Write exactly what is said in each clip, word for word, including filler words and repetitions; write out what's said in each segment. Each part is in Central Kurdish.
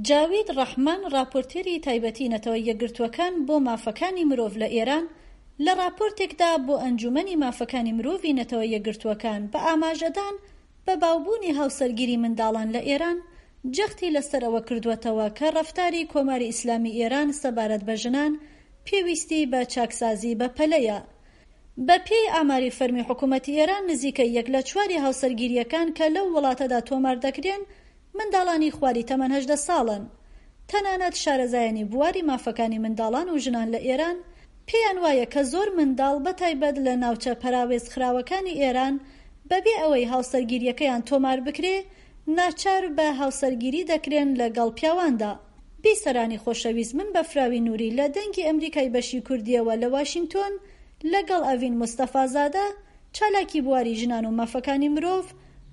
جاوید ڕەحمان ڕاپۆرتێری تایبەتی نەتەوە یەکگرتووەکان بۆ مافەکانی مرۆڤ لە ئێران لە ڕاپۆرتێکدا بۆ ئەنجومەنی مافەکانی مرۆڤی نەتەوە یەکگرتووەکان بە ئاماژەدان بە باوبوونی هاوسەرگیری منداڵان لە ئێران جەختی لەسەر ئەوە کردووەتەوە کە ڕەفتاری کۆماری ئیسلامی ئێران سەبارەت بە ژنان پێویستی بە چاکسازی بەپەلەیە. بە پێی ئاماری فەرمی حکوومەتی ئێران نزیکەی یەک لە چواری هاوسەرگیرییەکان کە لەو وڵاتەدا تۆمار دەکرێن منداڵانی خواری تەمەن هەژدە ساڵن. تەنانەت شارەزایانی بواری مافەکانی منداڵان و ژنان لە ئێران پێیان وایە کە زۆر منداڵ بە تایبەت لە ناوچە پەراوێزخراوەکانی ئێران بەبێ ئەوەی هاوسەرگیرییەکەیان تۆمار بکرێ ناچار بە هاوسەرگیری دەکرێن لەگەڵ پیاواندا. بیسەرانی خۆشەویست من بەفراوی نوری لە دەنگی ئەمریکای بەشی کوردیەوە لە واشینگتۆن لەگەڵ ئەڤین مستەفازادە چالاکی بواری ژنان و مافەکانی مرۆڤ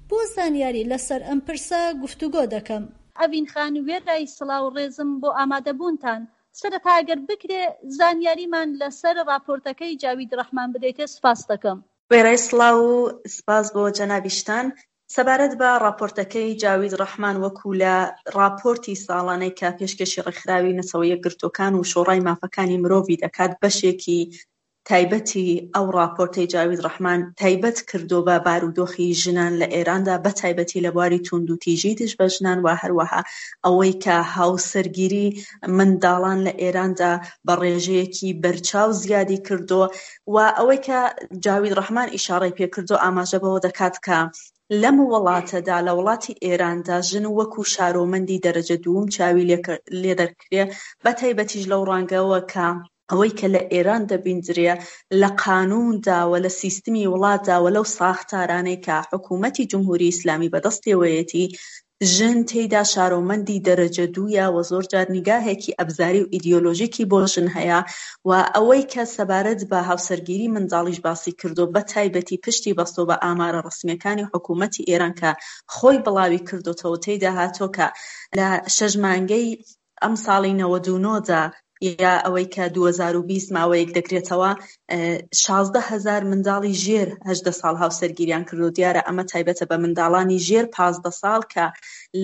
بۆ زانیاری لەسەر ئەم پرسە گفتوگۆ دەکەم. ئەڤین خان وێرای سڵاو و ڕێزم بۆ ئامادەبوونتان، سەرەتا ئەگەر بکرێ زانیاریمان لەسەر ڕاپۆرتەکەی جاوید ڕەحمان بدەیتێ سپاس دەکەم. وێرای سڵاو و سپاس بۆ جەنابیشتان، سەبارەت بە ڕاپۆرتەکەی جاوید ڕەحمان وەکو لە ڕاپۆرتی ساڵانەی کە پێشکەشی ڕێکخراوی نەتەوە یەکگرتووەکان و شۆڕای مافەکانی مرۆڤی دەکات، بەشێکی تایبەتی ئەو ڕاپۆرتەی جاوید ڕەحمان تایبەت کردو بە بارودۆخی ژنان لە ئێراندا، بە تایبەتی لە بواری توندوتیژی دژ بە ژنان و هەروەها ئەوەی کە هاوسەرگیری منداڵان لە ئێراندا بە ڕێژەیەکی بەرچاو زیادی کردو و ئەوەی کە جاوید ڕەحمان ئیشارەی پێکردو ئاماژە بەوە دەکات کە لەم وڵاتەدا، لە وڵاتی ئێراندا، ژن وەکو شارۆمەندی دەرەجە دووم چاوی لێ دەکرێ، بە تایبەتیش لەو ڕەنگەوە کە ئەوەی کە لە ئێران دەبیندرێ لە قانووندا و لە سیستمی وڵاتدا و لەو ساختارانەی کە حکوومەتی جمهوری ئیسلامی بەدەستیەوەیەتی، ژن تێیدا شارۆمەندی دەرەجە دوویە و زۆر جار نیگاهێکی ئەبزاری و ئیدیۆلۆژیکی بۆ ژن هەیە و ئەوەی کە سەبارەت بە هاوسەرگیری منداڵیش باسی کردو بە تایبەتی پشتی بەستۆ بە ئامارە ڕەسمیەکانی حکوومەتی ئێران کە خۆی بڵاوی کردوتەوە، تێیدا هاتووە کە لە شەش مانگەی ئەم ساڵی نەوەد و نۆ دا یا ئەوەی کە دوو هەزار و بیست ماوەیەک دەگرێتەوە، شازدە هەزار منداڵی ژێر هەژدە ساڵ هاوسەرگیریان کردو. دیارە ئەمە تایبەتە بە منداڵانی ژێر پازدە ساڵ کە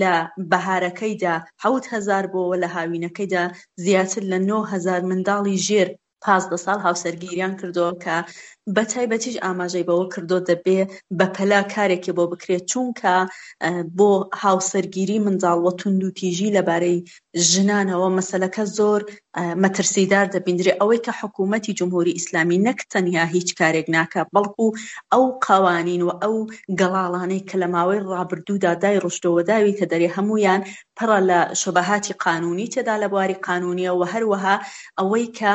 لە بەهارەکەیدا حەوت هەزار بۆوە، لە هاوینەکەیدا زیاتر لە نۆ هەزار منداڵی ژێر پازدە ساڵ هاوسەرگیریان کردووە کە بە تایبەتیش ئاماژەی بەوە کردو دەبێ بەپەلە کارێکی بۆ بکرێت، چونکە بۆ هاوسەرگیری منداڵ و توندوتیژی لەبارەی ژنانەوە مەسەلەکە زۆر مەترسیدار دەبیندرێ. ئەوەی کە حکوومەتی جمهوری ئیسلامی نەک تەنیا هیچ کارێک ناکە، بەڵکو ئەو قوانین و ئەو گەڵاڵانەی کە لە ماوەی ڕابردوودا دایڕشتەوە داویتە دەرێ هەمویان پڕە لە شوبهاتی قانونی تێدا لە بواری قانونیە و هەروەها ئەوەی کە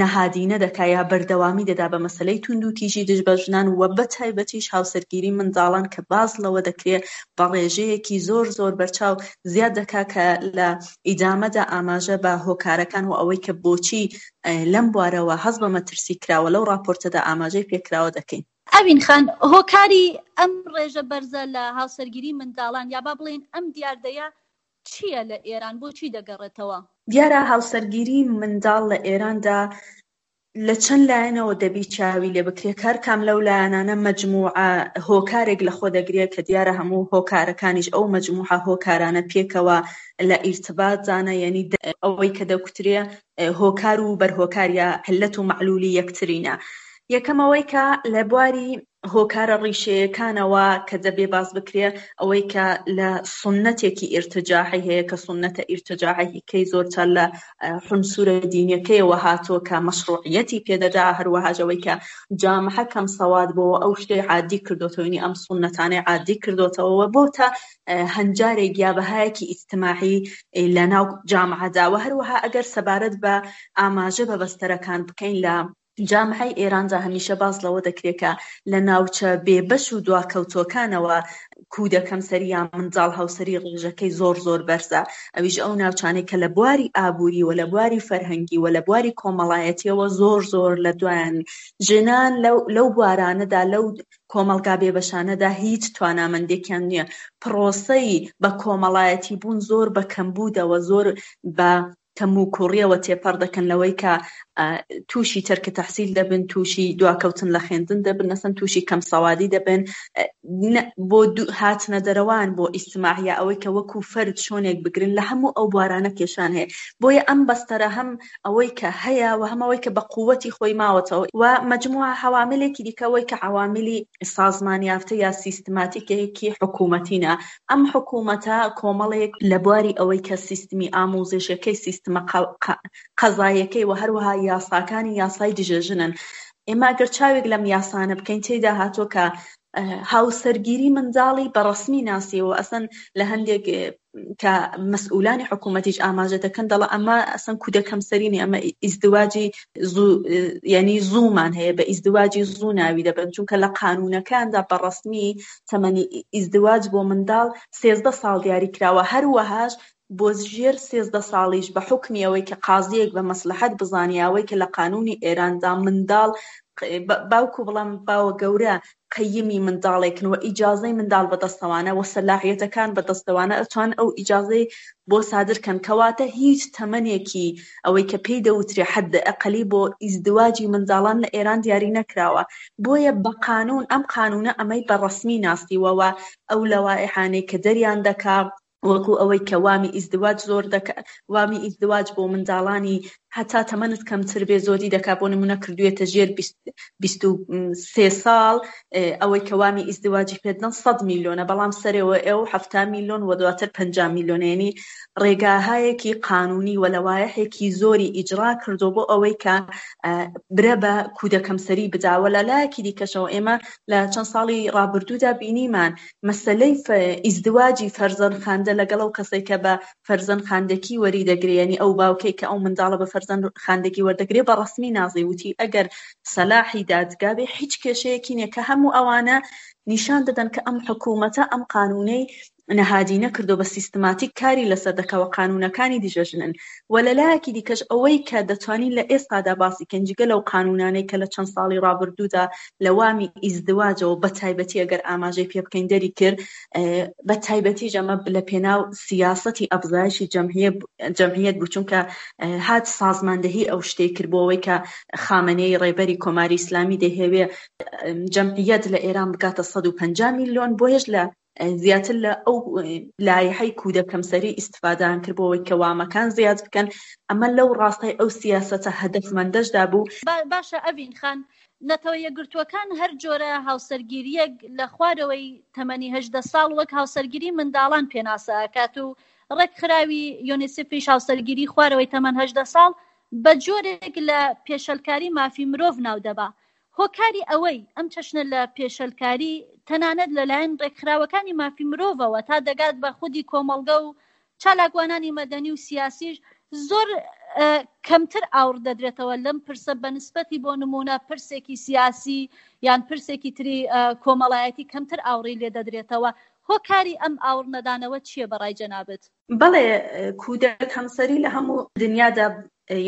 نەهادینە دەکا یا بەردەوامی دەدا بە مەسەلەی توندوتیژی دژ بە ژنان و بە تایبەتیش هاوسەرگیری منداڵان کە باز لەوە دەکرێ بە ڕێژەیەکی زۆر زۆر بەرچاو زیاد دەکا کە لە ئیدامەدا ئاماژە بە هۆکارەکان و ئەوەی کە بۆچی لەم بوارەوە هەست بە مەترسی کراوە لەو ڕاپۆرتەدا ئاماژەی پێکراوە دەکەین. ئەوین خان، هۆکاری ئەم ڕێژە بەرزە لە هاوسەرگیری منداڵان یا با بڵێین ئەم دیاردەیە چییە لە ئێران، بۆچی دەگەڕێتەوە؟ دیارە هاوسەرگیری منداڵ لە ئێراندا لە چەند لایەنەوە دەبی چاوی لێ بکرێت، هەر کام لەو لایەنانە مەجموعە هۆکارێک لە خۆ دەگرێت کە دیارە هەموو هۆکارەکانیش ئەو مەجموعە هۆکارانە پێکەوە لە ئیرتباتدانە، یعنی ئەوەی کە دەکوترێ هۆکار و بەرهۆکار یا علەت و مەعلولی یەکترینە. یەکەم ئەوەی کە لە بواری هۆکارە ڕیشەیەکانەوە کە دەبێ باس بکرێ، ئەوەی کە لە سنەتێکی ئیرتجاعی هەیە کە سنەتە ئیرتجاعیەکەی زۆرتر لە حونسورە دینیەکەیەوە هاتووە کە مەشروعیەتی پێدەدا، هەروەها ئەوەی کە جامعە کەم سەواد بۆ ئەو شتەی عادی کردوتەوە، یعنی ئەم سنەتانەی عادی کردوتەوە بۆتە هەنجارێک یا بەهایەکی ئیجتماعی لە ناو جامعەدا. و هەروەها ئەگەر سەبارەت بە ئاماژە بە بەستەرەکان بکەین لە جامعەی ئێراندا هەمیشە باس لەوە دەکرێت کە لە ناوچە بێبەش و دواکەوتوەکانەوە کودەکەم سەری یا منداڵ هاوسەری ڕێژەکەی زۆر زۆر بەرزە، ئەویش ئەو ناوچانەی کە لە بواری ئابووری و لە بواری فەرهەنگی و لە بواری کۆمەڵایەتیەوە زۆر زۆر لە دوایان ژنان لەو بوارانەدا لەو کۆمەڵگا بێبەشانەدا هیچ توانامەندێکیان نییە. پرۆسەی بە کۆمەڵایەتی بوون زۆر بە کەمبوودەوە، زۆر بە کەموکوڕیەوە تێپەڕ دەکەن لەوەی کە تووشی تەرکە تەحسیل دەبن، تووشی دواکەوتن لە خوێندن دەبن، نەسەن تووشی کەم سەوادی دەبن، بۆ هاتنە دەرەوان بۆ ئیجتماعیە ئەوەی کە وەکو فەرد شۆنێک بگرن لە هەموو ئەو بوارانە کێشان هەیە. بۆیە ئەم بەستەرە هەم ئەوەی کە هەیە و هەم ئەوەی کە بە قووەتی خۆی ماوەتەوە و مەجموعە عەواملێکی دیکە ئەوەی کە عەواملی سازمان یافتە یا سیستماتیکێکی حکوومەتینە. ئەم حکوومەتە کۆمەڵێک لە بواری ئەوەی کە سیستمی ئاموزشەکەی، سیستمە قەزایەکەی و هەروەها یاساکانی یاسای دژە ژنن. ئێمە ئەگەر چاوێک لەم یاسانە بکەین تێیدا هاتووە کە هاوسەرگیری منداڵی بە ڕەسمی ناسیەوە، ئەسەن لە هەندێک کە مەسئولانی حکوومەتیش ئاماژە دەکەن دەڵێ ئەمە ئەسەن کودەکەمسەرینی، ئەمە ئیزدواجی زوو، یعنی زوومان هەیە، بە ئیزدواجی زوو ناوی دەبن، چونکە لە قانونەکاندا بە ڕەسمی تەمەنی ئیزدواج بۆ منداڵ سێزدە ساڵ دیاری کراوە. هەروەهاش بۆ ژێر سێزدە ساڵیش بە حوکمی ئەوەی کە قازیەک بە مەسلحەت بزانێ، ئەوەی کە لە قانونی ئێراندا منداڵ باوکو بڵام باوە گەورە قەیمی منداڵێکن و ئیجازەی منداڵ بەدەستەوانە و سەلاحیەتەکان بەدەستەوانە ئەتوان ئەو ئیجازەی بۆ سادر کەن. کەواتە هیچ تەمەنێکی ئەوەی کە پێی دەوترێ حەد ئەقلی بۆ ئیزدواجی منداڵان لە ئێران دیاری نەکراوە. بۆیە بە قانون ئەم قانونە ئەمەی بە ڕەسمی ناسیوە و ئەو لەوائحانەی کە دەریان دەکا وەکو ئەوەی کە وامی ئیزدواج زۆر دەکا، وامی ئیزدواج بۆ منداڵانی هەتا تەمەنت کەمتر بێ زۆری دەکا، بۆ نمونە کردوێتە ژێر بیست و سێ ساڵ، ئەوەی کە وامی ئیزدواجی پێدەن سەد میلیۆنە، بەڵام سەرەوە ئەو حەفتا میلیۆن و دواتر پەنجا میلیۆنە. یعنی ڕێگاهایەکی قانونی و لەوایحێکی زۆری ئیجرا کردو بۆ ئەوەی کە برە بە کودەکەمسەری بداوە. لە لایەکی دیکەشەوە ئێمە لە چەند ساڵی ڕابردوودا بینیمان مەسەلەی ئیزدواجی فەرزەند خاندە لەگەڵ ئەو کەسێک کە بە فەرزەند خاندەکی وەری دەگرێ، یعنی ئەو باوکێک کە ئەو منداڵە بە فەرزەند خاندەکی وەردەگرێ بە ڕەسمی نازی وتی ئەگەر سەلاحی دادگا بێ هیچ کێشەیەکی نییە، کە هەموو ئەوانە نیشان دەدەن کە ئەم حکوومەتە ئەم قانونەی نەهادی نەکردو بە سیستماتیک کاری لەسەر دەکەوە، قانونەکانی دژە ژنن. و لە لایەکی دیکەش ئەوەی کە دەتوانین لە ئێستادا باسی کەین جگە لەو قانونانەی کە لە چەند ساڵی ڕابردوودا لە وامی ئیزدواجەوە بە تایبەتی ئەگەر ئاماژەی پێ بکەین دەری کرد، بە تایبەتی ئەمە لە پێناو سیاسەتی ئەفزایشی جەمعیەت بوو، چونکە هات سازماندەهی ئەو شتەی کرد بۆ ئەوەی کە خامنەیی ڕێبەری کۆماری ئیسلامی دەیهەوێ جەمعیەت لە ئێران بگاتە سەد و پەنجا میلیۆن، بۆیەش لە زیاتر لە ئەو لایحەی کودەکەمسەری ئیستفادان کرد بۆ ئەوەی کە وامەکان زیاد بکەن. ئەمە لەو ڕاستای ئەو سیاسەتە هەدەفمەندەشدا بوو. باشە ئەڤین خان، نەتەوە یەکگرتووەکان هەر جۆرە هاوسەرگیریەک لە خوارەوەی تەمەنی هەژدە ساڵ وەک هاوسەرگیری منداڵان پێناسە ئەکات و ڕێکخراوی یونیسفیش هاوسەرگیری خوارەوەی تەمەن هەژدە ساڵ بە جۆرێک لە پێشەلکاری مافی مرۆڤ ناودەبا. هۆکاری ئەوەی ئەم چەشنە لە پێشەلکاری تەنانەت لەلایەن ڕێکخراوەکانی مافی مرۆڤەوە تا دەگات بە خودی کۆمەڵگە و چالاکوانانی مەدەنی و سیاسیش زۆر کەمتر ئاوڕ دەدرێتەوە لەم پرسە بەنسبەتی بۆ نمونە پرسێکی سیاسی یان پرسێکی تری کۆمەڵایەتی کەمتر ئاوڕی لێ دەدرێتەوە. هۆکاری ئەم ئاوڕ نەدانەوە چییە بەڕای جەنابت؟ بەڵێ، کودەک هەمسەری لە هەموو دنیادا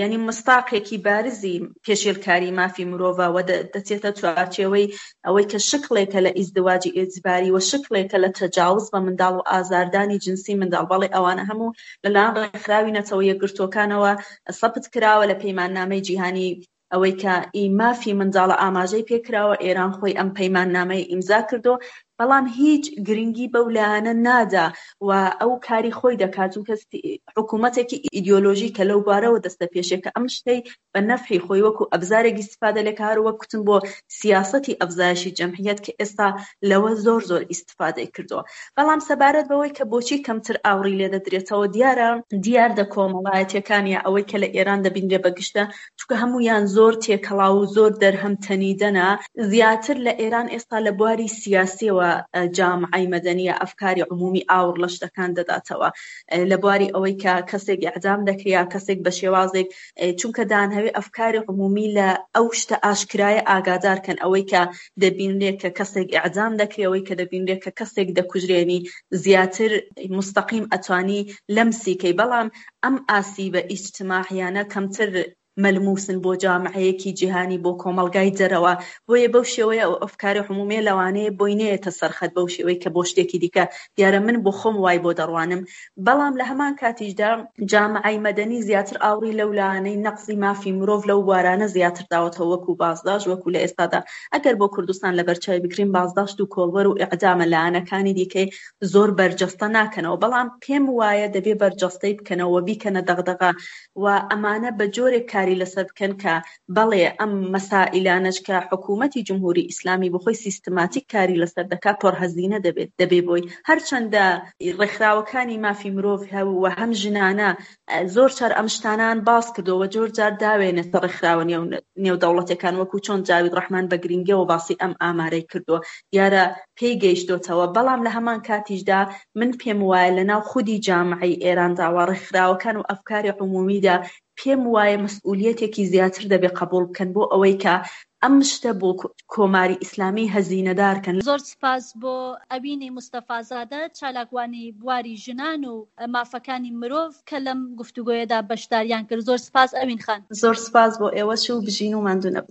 یعنی مستاقێکی بارزی پێشێلکاری مافی مرۆڤە و دەچێتە چوارچێوەی ئەوەی کە شکڵێکە لە ئیزدواجی ئیجباری و شکڵێکە لە تەجاوز بە منداڵ و ئازاردانی جنسی منداڵ. بەڵێ ئەوانە هەموو لەلایەن ڕێکخراوی نەتەوە یەکگرتووەکانەوە سەبت کراوە لە پەیماننامەی جیهانی ئەوەی کە ئی مافی منداڵە ئاماژەی پێکراوە. ئێران خۆی ئەم پەیماننامەی ئیمزا کردو، بەڵام هیچ گرنگی بەو لایەنە نادا و ئەو کاری خۆی دەکات، چونکە حکوومەتێکی ئیدیۆلۆژی کە لەو بارەوە دەستە پێشێکە ئەم شتەی بە نەفعی خۆی وەکو ئەبزارێک ئیستفادە لێکە، هەر وەک کوتم بۆ سیاسەتی ئەفزایشی جەمعیەت کە ئێستا لەوە زۆر زۆر ئیستفادەی کردووە. بەڵام سەبارەت بەوەی کە بۆچی کەمتر ئاوڕی لێ دەدرێتەوە، دیارە دیاردە کۆمەڵایەتیەکان یا ئەوەی کە لە ئێران دەبینرێ بەگشتە، چونکە هەمویان زۆر تێکەڵاو و زۆر دەرهەم تەنیدەنە. زیاتر لە ئێران ئێستا لە بواری سیاسیەوە جامعەی مەدەنیە ئەفکاری عمومی ئاوڕ لە شتەکان دەداتەوە، لە بواری ئەوەی کە کەسێک ئیعدام دەکرێ یا کەسێک بە شێوازێک، چونکە دانهەوێ ئەفکاری عمومی لە ئەو شتە ئاشکرایە ئاگادارکەن، ئەوەی کە دەبینرێت کە کەسێک ئیعدام دەکرێ، ئەوەی کە دەبینرێت کە کەسێک دەکوژرێنی، زیاتر مستەقیم ئەتوانی لەمسیکەی. بەڵام ئەم ئاسیبە ئیجتماعیانە کەمتر مەلموسن بۆ جامعەیەکی جیهانی بۆ کۆمەڵگای دەرەوە، بۆیە بەو شێوەیە ئەو ئەفکاری عمومیە لەوانەیە بۆی نەیەتە سەرخەت بەو شێوەی کە بۆ شتێکی دیکە دیارە من بۆ خۆم وای بۆ دەڕوانم. بەڵام لە هەمان کاتیشدا جامعەی مەدەنی زیاتر ئاوڕی لەو لایەنەی نەقزی مافی مرۆڤ لەو بوارانە زیاتر داوەتەوە وەکو بازداشت، وەکو لە ئێستادا ئەگەر بۆ کوردستان لەبەرچاوی بگرین بازداشت و کۆڵبەر و ئیعدامە لایەنەکانی دیکەی زۆر بەرجەستە ناکەنەوە، بەڵام پێم وایە دەبێ بەرجەستەی بکەنەوە بیکەنە دەغدەغە و ئەمانە بە جۆرێک کاری لەسەر بکەن کە بەڵێ ئەم مەسائیلانەش کە حکوومەتی جمهوری ئیسلامی بەخۆی سیستماتیک کاری لەسەر دەکات پڕهەزینە دەبێت دەبێ بۆی. هەرچەندە ڕێکخراوەکانی مافی مرۆڤ و هەم ژنانە زۆر جار ئەم شتانان باس کردەوە، زۆر جار داوێنێتە ڕێکخراوە نێودەوڵەتەکان، وەکو چۆن جاوید ڕەحمان بە گرنگیەوە باسی ئەم ئامارەی کردووە، دیارە پێی گەیشتۆتەوە. بەڵام لە هەمان کاتیشدا من پێم وایە لە ناو خودی جامعەی ئێراندا و ڕێکخراوەکان و ئەفکاری عمومیدا پێم وایە مەسئولیەتێکی زیاتر دەبێ قبول بکەن بۆ ئەوەی کە ئەم شتە بۆ کۆماری ئیسلامی هەزینەدار کەن. زۆر سپاس بۆ ئەوینی مستەفازادە، چالاکوانی بواری ژنان و مافەکانی مرۆڤ کە لەم گفتوگۆیەدا بەشداریان کرد. زۆر سپاس ئەوین خان. زۆر سپاس بۆ ئێوەش و بژین و ماندوو نەبن.